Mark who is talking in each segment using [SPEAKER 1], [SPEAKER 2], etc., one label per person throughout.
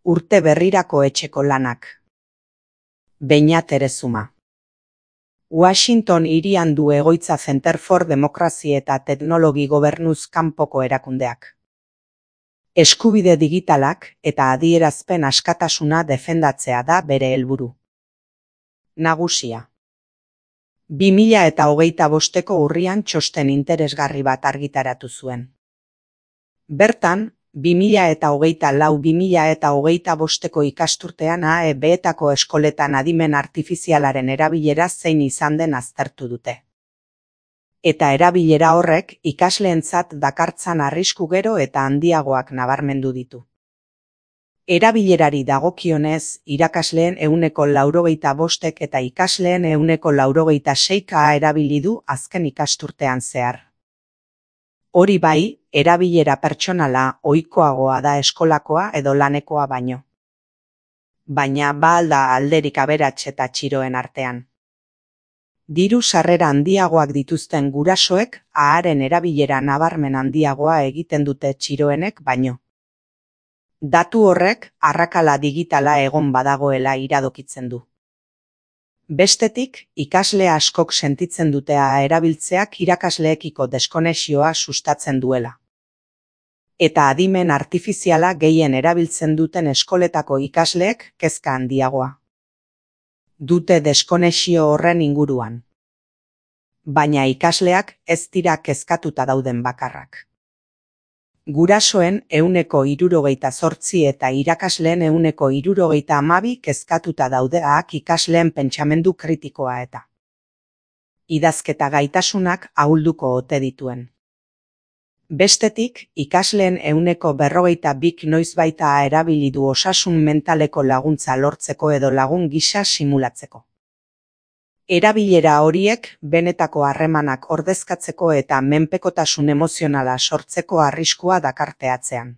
[SPEAKER 1] Urte berrirako etxeko lanak. Beñat Erezuma. Washington hirian du egoitza Center for Democracy eta Teknologi Gobernuz kanpoko erakundeak. Eskubide digitalak eta adierazpen askatasuna defendatzea da bere helburu nagusia. 2025ko urrian txosten interesgarri bat argitaratu zuen. Bertan, 2024-2025ko ikasturtean AEB-etako eskoletan adimen artifizialaren erabilera zein izan den aztertu dute. Eta erabilera horrek ikasleentzat dakartzan arrisku gero eta handiagoak nabarmendu ditu. Erabilerari dagokionez, irakasleen 95% eta ikasleen 96% erabili du azken ikasturtean zehar. Hori bai, erabilera pertsonala ohikoagoa da eskolakoa edo lanekoa baino. Baina ba al da alderik aberats eta txiroen artean. Diru sarrera handiagoak dituzten gurasoek aharen erabilera nabarmen handiagoa egiten dute txiroenek baino. Datu horrek arrakala digitala egon badagoela iradokitzen du. Bestetik, ikasle askok sentitzen dutea erabiltzeak irakasleekiko deskonexioa sustatzen duela. Eta adimen artifiziala gehien erabiltzen duten eskoletako ikasleek kezka handiagoa dute deskonexio horren inguruan. Baina ikasleak ez dira kezkatuta dauden bakarrak. Gurasoen 68% eta irakasleen 72% kezkatuta daudeak ikasleen pentsamendu kritikoa eta idazketa gaitasunak ahulduko ote dituen. Bestetik, ikasleen 42% noizbaita erabili du osasun mentaleko laguntza lortzeko edo lagun gisa simulatzeko. Erabilera horiek benetako harremanak ordezkatzeko eta menpekotasun emozionala sortzeko arriskua dakarteatzean.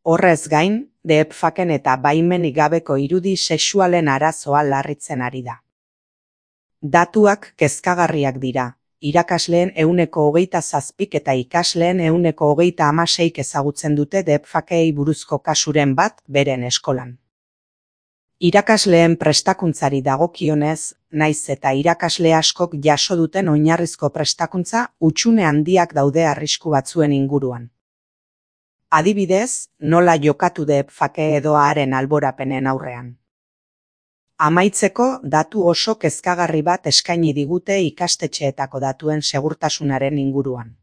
[SPEAKER 1] Horrez gain, deepfaken eta baimenik gabeko irudi sexualen arazoa larritzen ari da. Datuak kezkagarriak dira, irakasleen 27% eta ikasleen 36% ezagutzen dute deepfakei buruzko kasuren bat beren eskolan. Irakasleen prestakuntzari dagokionez, naiz eta irakasle askok jaso duten oinarrizko prestakuntza hutsune handiak daude arrisku batzuen inguruan. Adibidez, nola jokatu deepfake edo haren alborapenen aurrean. Amaitzeko, datu oso kezkagarri bat eskaini digute ikastetxeetako datuen segurtasunaren inguruan.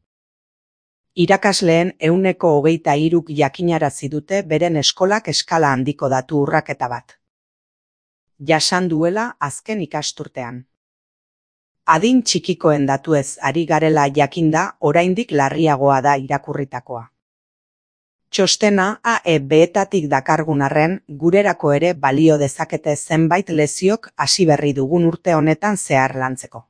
[SPEAKER 1] Irakasleen 23%k jakinarazi dute beren eskolak eskala handiko datu urraketa bat jasan duela azken ikasturtean. Adin txikikoen datuez ari garela jakinda oraindik larriagoa da irakurritakoa. Txostena AEB-etatik dakargun arren, gurerako ere balio dezakete zenbait leziok hasi berri dugun urte honetan zehar lantzeko.